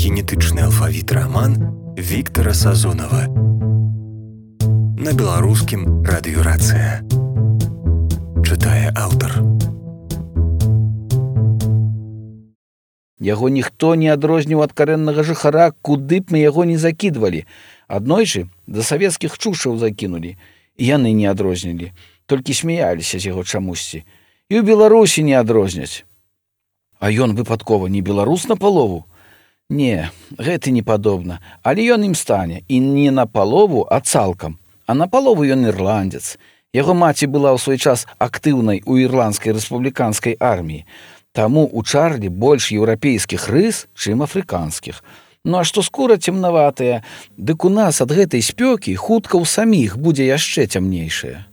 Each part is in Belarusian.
генетычны алфавіт раман Віктара Сазонава. На беларускім радыёрацыя. Чытае аўтар. Яго ніхто не адрозніў ад карэннага жыхара, куды б мы яго не закідвалі. Аднойчы да савецкіх чушчаў закінулі, і яны не адрознілі, толькі смяяліся з яго чамусьці. І ў Беларусі не адрозняць. А ён выпадкова не беларус на палову? Не, гэта не падобна, але ён ім стане, і не на палову, а цалкам. А на палову ён ірландец. Яго маці была ў свой час актыўнай у ірландскай рэспубліканскай арміі. Таму у Чарлі больш еўрапейскіх рыс, чым афрыканскіх. Ну а што скура цемнаватая, дык у нас ад гэтай спёкі хутка ў саміх будзе яшчэ цямнейшая.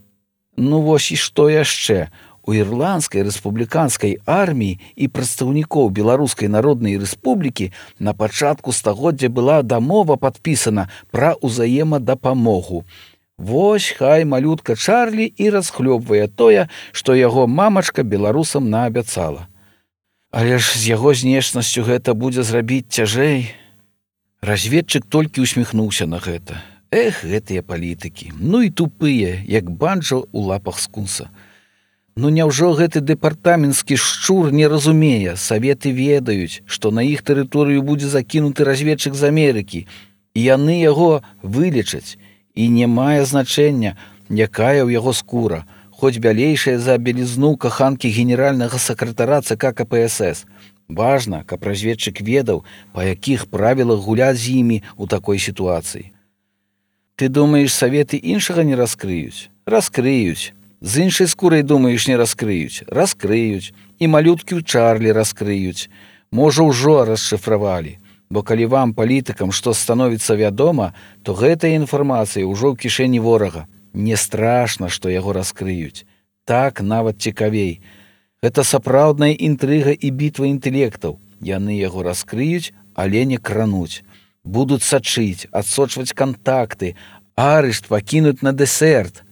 Ну вось і што яшчэ? У ірландскай рэспубліканскай арміі і прадстаўнікоў Беларускай народнай рэспублікі на пачатку стагоддзя была дамова падпісана пра ўзаемадапамогу. Вось хай малютка Чарлі і расхлёбвае тое, што яго мамачка беларусам наабяцала. Але ж з яго знешнасцю гэта будзе зрабіць цяжэй. Разведчык толькі усміхнуўся на гэта. Эх, гэтыя палітыкі, ну і тупыя, як банджо ў лапах скунса. Ну няўжо гэты дэпартаменtsкі шчур не разумее, саветы ведаюць, што на іх тэрыторыю будзе закінуты разведчык з Амерыкі, і яны яго вылечаць, і не мае значэння, якая ў яго скура, хоць бялейшая за белізну каханкі генеральнага сакратара ЦК КПСС. Важна, каб разведчык ведаў, па якіх правілах гуляць з імі ў такой сітуацыі. Ты думаеш, саветы іншага не раскрыюць? Раскрыюць. З іншай скурай, думаеш, не раскрыюць? Раскрыюць. І малюткі ў Чарлі раскрыюць. Можа, ўжо расшыфравалі. Бо калі вам, палітыкам, што становіцца вядома, то гэтая інфармацыя ўжо ў кішэні ворага. Не страшна, што яго раскрыюць. Так нават цікавей. Гэта сапраўдная інтрыга і бітва інтэлектаў. Яны яго раскрыюць, але не крануць. Будуць сачыць, адсочваць кантакты, арышт пакінуць на дэсерт.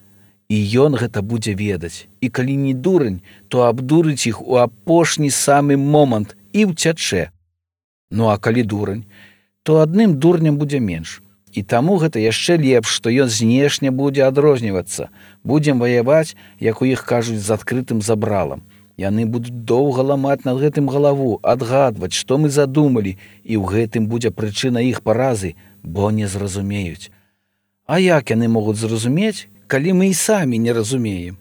І ён гэта будзе ведаць. І калі не дурань, то абдурыць іх у апошні самы момант і ўцячэ. Ну а калі дурань, то адным дурням будзе менш. І таму гэта яшчэ лепш, што ён знешне будзе адрознівацца. Будзем ваяваць, як у іх кажуць, з адкрытым забралам. Яны будуць доўга ламаць над гэтым галаву, адгадваць, што мы задумалі, і ў гэтым будзе прычына іх паразы, бо не зразумеюць. А як яны могуць зразумець, калі мы і самі не разумеем?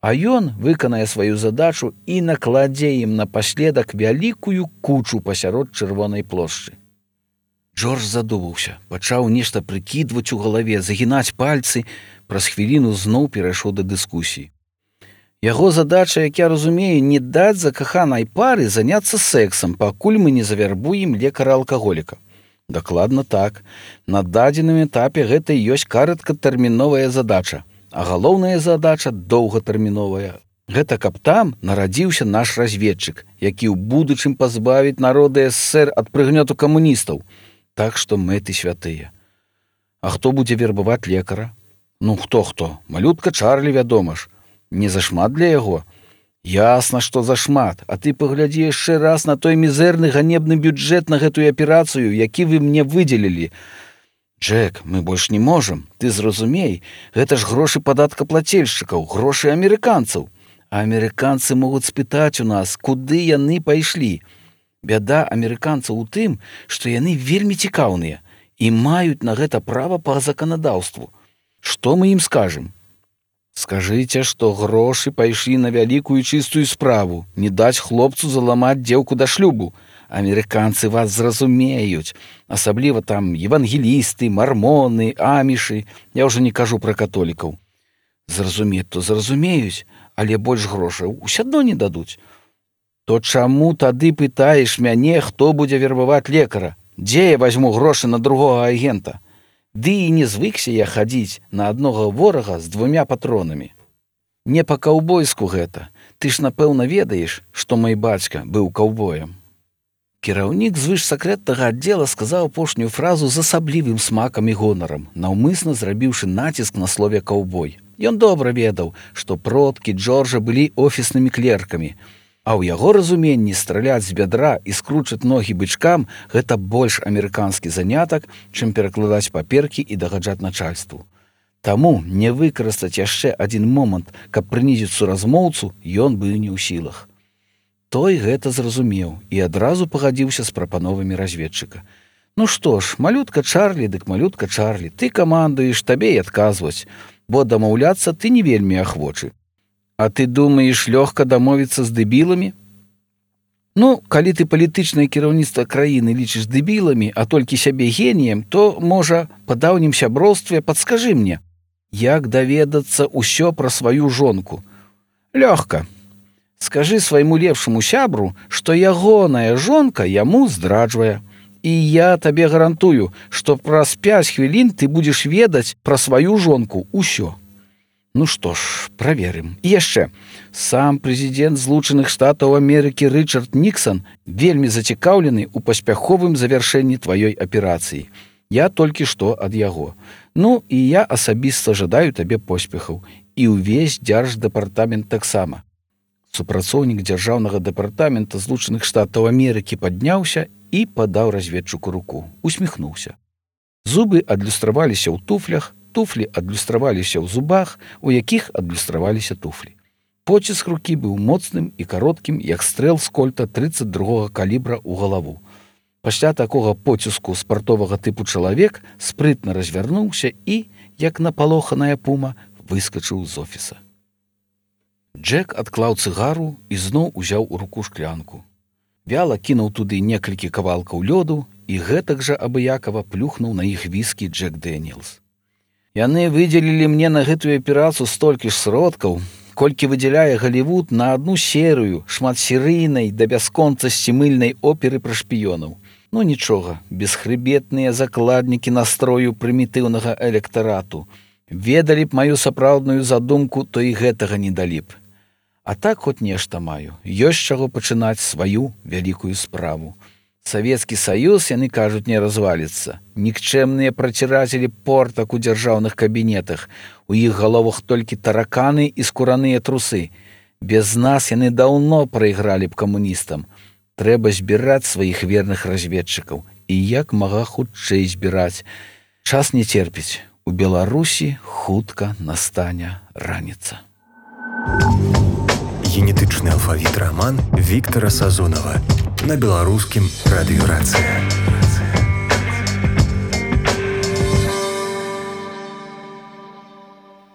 А ён выканае сваю задачу і накладзе ім напаследак вялікую кучу пасярод чырвонай плошчы. Джордж задумаўся, пачаў нешта прыкідваць у галаве, загінаць пальцы, праз хвіліну зноў перайшоў да дыскусіі. Яго задача, як я разумею, не даць закаханай пары заняцца сексам, пакуль мы не завярбуем лекара-алкаголіка. Дакладна так. На дадзеным этапе гэта і ёсць кароткатэрміновая задача, а галоўная задача доўгатэрміновая. Гэта каб там нарадзіўся наш разведчык, які ў будучым пазбавіць народы СССР ад прыгнёту камуністаў. Так што мэты святыя. А хто будзе вербаваць лекара? Ну хто? Малютка Чарлі, вядома ж. Не зашмат для яго? Ясна, што зашмат, а ты паглядзі яшчэ раз на той мізэрны ганебны бюджэт на гэтую аперацыю, які вы мне выдзелілі. Джек, мы больш не можам, ты зразумей, гэта ж грошы падаткаплацельшчыкаў, грошы амерыканцаў. А амерыканцы могуць спытаць у нас, куды яны пайшлі. Бяда амерыканцаў у тым, што яны вельмі цікаўныя і маюць на гэта права па заканадаўству. Што мы ім скажам? Скажыце, што грошы пайшлі на вялікую чыстую справу, не даць хлопцу заламаць дзеўку да шлюбу. Амерыканцы вас зразумеюць, асабліва там евангелісты, мармоны, амішы, я ўжо не кажу пра католікаў. Зразумець то зразумеюць, але больш грошаў усё адно не дадуць. То чаму тады пытаеш мяне, хто будзе вербаваць лекара? Дзе я вазьму грошы на другога агента? Ды і не звыкся я хадзіць на аднога ворага з 2 патронамі. Не па-каўбойску гэта. Ты ж, напэўна, ведаеш, што мой бацька быў каўбоем. Кіраўнік звышсакрэтнага аддзела сказаў апошнюю фразу з асаблівым смакам і гонарам, наўмысна зрабіўшы націск на слове «каўбой». Ён добра ведаў, што продкі Джорджа былі офіснымі клеркамі, А ў яго разуменні страляць з бядра і скручаць ногі бычкам – гэта больш амерыканскі занятак, чым перакладаць паперкі і дагаджаць начальству. Таму не выкарыстаць яшчэ адзін момант, каб прынізіць суразмоўцу, ён быў не ў сілах. Той гэта зразумеў і адразу пагадзіўся з прапановамі разведчыка. Ну што ж, малютка Чарлі, дык малютка Чарлі, ты камандуеш, табе і адказваць, бо дамаўляцца ты не вельмі ахвочы. А ты думаеш, лёгка дамовіцца з дэбіламі? Ну, калі ты палітычнае кіраўніцтва краіны лічыш дэбіламі, а толькі сябе геніем, то, можа, па даўнім сяброўстве падскажы мне, як даведацца ўсё пра сваю жонку? Лёгка. Скажы свайму лепшаму сябру, што ягоная жонка яму здраджвае. І я табе гарантую, што праз 5 хвілін ты будзеш ведаць пра сваю жонку ўсё. Ну што ж, праверым. І яшчэ, сам прэзідэнт Злучаных Штатаў Амерыкі Рычард Ніксан вельмі зацікаўлены ў паспяховым завяршэнні тваёй аперацыі. Я толькі што ад яго. Ну, і я асабіста жадаю табе поспехаў. І ўвесь дзярждэпартамент таксама. Супрацоўнік дзяржаўнага дэпартамента Злучаных Штатаў Амерыкі падняўся і падаў разведчыку руку. Усміхнуўся. Зубы адлюстраваліся ў туфлях, туфлі адлюстраваліся ў зубах, у якіх адлюстраваліся туфлі. Поціск рукі быў моцным і кароткім, як стрэл з кольта 32-го калібра ў галаву. Пасля такога поціску спартовага тыпу чалавек спрытна развярнуўся і, як напалоханая пума, выскачыў з офіса. Джек адклаў цыгару і зноў узяў у руку шклянку. Вяла кінуў туды некалькі кавалкаў лёду і гэтак жа абыякава плюхнуў на іх віскі Джек Дэніелс. Яны выдзелілі мне на гэтую аперацыю столькі ж сродкаў, колькі выдзяляе Галівуд на адну серыю шматсерыйнай да бясконцасці мыльнай оперы пра шпіёнаў. Ну нічога, бесхрыбетныя закладнікі настрою прымітыўнага электарату. Ведалі б маю сапраўдную задумку, то і гэтага не далі б. А так хоць нешта маю. Ёсць чаго пачынаць сваю вялікую справу. Савецкі Саюз, яны кажуць, не разваліцца. Нікчэмныя працірацелі портак у дзяржаўных кабінетах. У іх галовах толькі тараканы і скураныя трусы. Без нас яны даўно прайгралі б камуністам. Трэба збіраць сваіх верных разведчыкаў. І як мага хутчэй збіраць. Час не церпіць. У Беларусі хутка настане раніца. Генетычны алфавіт раман Віктара Сазонава на беларускім радыёрацыя.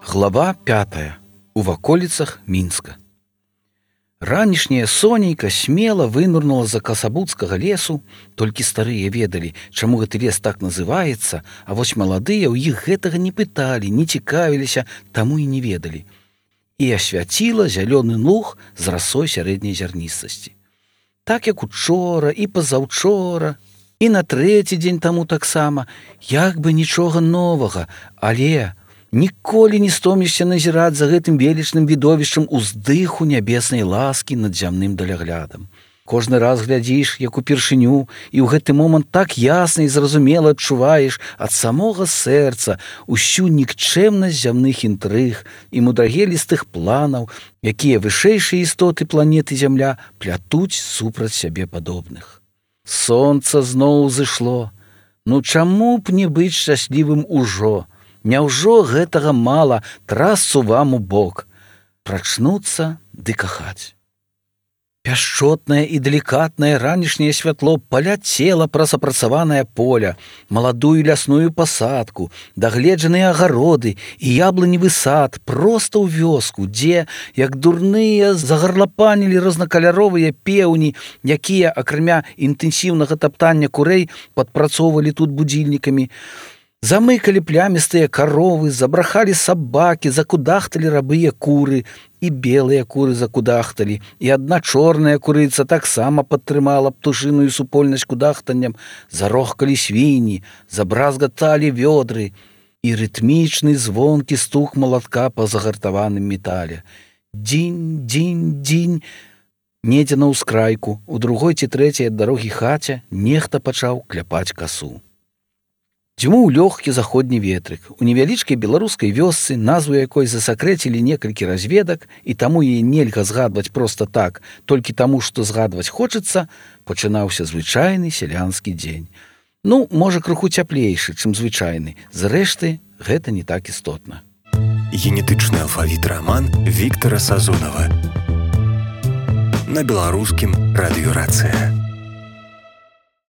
Глава 5. У ваколіцах Мінска. Ранішняе сонейка смела вынурнула за касабуцкага лесу, толькі старыя ведалі, чаму гэты лес так называецца, а вось маладыя ў іх гэтага не пыталі, не цікавіліся, таму і не ведалі. І асвяціла зялёны луг з расой сярэдняй зярністасці. Так як учора і пазаўчора, і на 3-й дзень таму таксама, як бы нічога новага, але ніколі не стомішся назіраць за гэтым велічным відовішчам уздыху нябеснай ласкі над зямным даляглядам. Кожны раз глядзіш, як упершыню, і ў гэты момант так ясна і зразумела адчуваеш ад самога сэрца усю нікчэмнасць зямных інтрыг і мудрагелістых планаў, якія вышэйшыя істоты планеты Зямля плятуць супраць сябе падобных. Сонца зноў узышло. Ну чаму б не быць шчаслівым ужо? Няўжо гэтага мала трасцу вам у бок? Прачнуцца ды кахаць. Пяшчотнае і далікатнае ранішняе святло паляцела праз апрацаванае поля, маладую лясную пасадку, дагледжаныя агароды і яблыневы сад проста ў вёску, дзе, як дурныя, загарлапанілі рознакаляровыя пеўні, якія, акрамя інтэнсіўнага таптання курэй, падпрацоўвалі тут будзільнікамі. Замыкалі плямістыя каровы, забрахалі сабакі, закудахталі рабыя куры, і белыя куры закудахталі, і адна чорная курыца таксама падтрымала птушыную супольнасць кудахтаннем, зарохкалі свінні, забразгаталі вёдры, і рытмічны звонкі стук малатка па загартаваным метале. Дзінь, дзінь, дзінь. Недзе на ўскрайку, у другой ці трэцяй ад дарогі хаце нехта пачаў кляпаць касу. Дзьмуў лёгкі заходні ветрык. У невялічкай беларускай вёсцы, назву якой засакрэцілі некалькі разведак, і таму яе нельга згадваць проста так, толькі таму, што згадваць хочацца, пачынаўся звычайны сялянскі дзень. Ну, можа, крыху цяплейшы, чым звычайны. Зрэшты, гэта не так істотна. Генетычны алфавіт раман Віктара Сазонава. На беларускім радыёрацыя.